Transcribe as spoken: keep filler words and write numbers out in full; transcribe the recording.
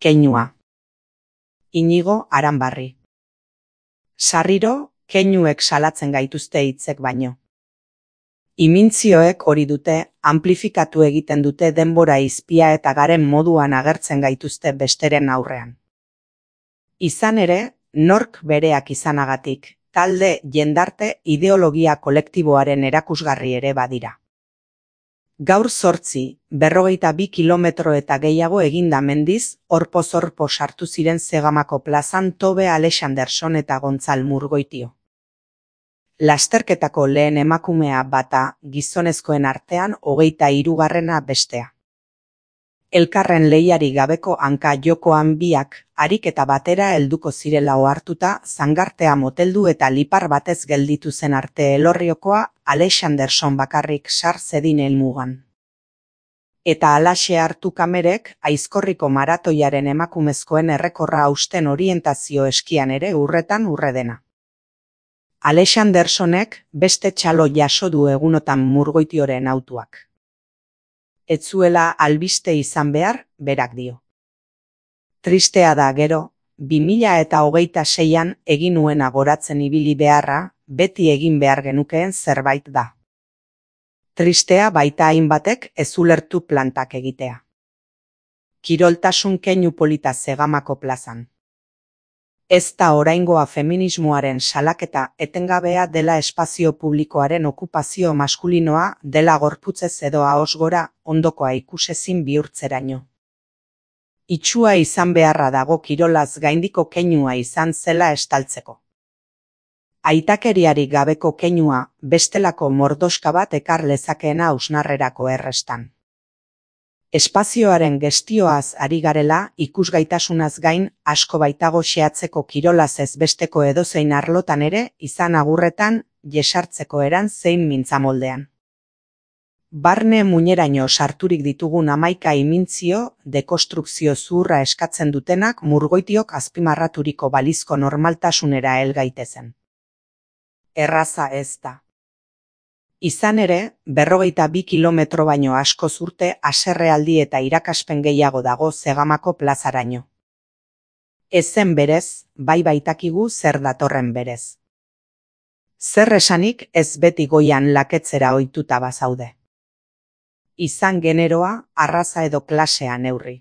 Keinua. Inigo Aranbarri. Sarriro, keinuek salatzen gaituzte hitzek baino. Imintzioek hori dute, amplifikatu egiten dute denbora izpia eta garen moduan agertzen gaituzte besteren aurrean. Izan ere, nork bereak izanagatik, talde, jendarte, ideologia kolektiboaren erakusgarri ere badira. Gaur zortzi, berrogeita bi kilometro eta gehiago eginda mendiz, orpoz-orpo sartu ziren Zegamako plazan Tobe Alexanderson eta Gontzal Murgoitio. Lasterketako lehen emakumea bata, gizonezkoen artean hogeita hirugarrena bestea. Elkarren lehiari gabeko hanka jokoan biak, ariketa batera helduko zirela ohartuta, zangartea moteldu eta lipar batez gelditu zen arte elorriokoa, Alexanderson bakarrik sar zedin helmugan. Eta halaxe hartu kamerek, Aizkorriko maratoiaren emakumezkoen errekorra hausten orientazio eskian ere urretan urre dena. Alexandersonek beste txalo jaso du egunotan Murgoitioren autuak. Ez zuela albiste izan behar, berak dio. Tristea da gero, bi mila eta hogeita seian egin nuena goratzen ibili beharra, beti egin behar genukeen zerbait da. Tristea baita hainbatek ez ulertu plantak egitea. Kiroltasun keinu polita Zegamako plazan. Ez da oraingoa feminismoaren salaketa etengabea dela espazio publikoaren okupazio maskulinoa dela gorputzez edo ahoz gora ondokoa ikusezin bihurtzeraino. Itsua izan beharra dago kirolaz gaindiko keinua izan zela estaltzeko. Aitakeriari gabeko keinua bestelako mordoska bat ekar lezakeena hausnarrerako errestan. Espazioaren gestioaz ari garela, ikusgaitasunaz gain, asko baitago xehatzeko kirolaz ez besteko edozein arlotan ere, izan agurretan, jesartzeko eran zein mintzamoldean. Barne muineraino sarturik ditugun hamaika imintzio, dekonstrukzio zuhurra eskatzen dutenak Murgoitiok azpimarraturiko balizko normaltasunera hel gaitezen. Erraza ez da. Izan ere, berrogeita bi kilometro baino asko zurte haserrealdi eta irakaspen gehiago dago Zegamako plazaraino. Ezen berez, bai baitakigu zer datorren berez. Zer esanik ez beti goian laketzera ohituta bazaude. Izan generoa, arraza edo klasea neurri.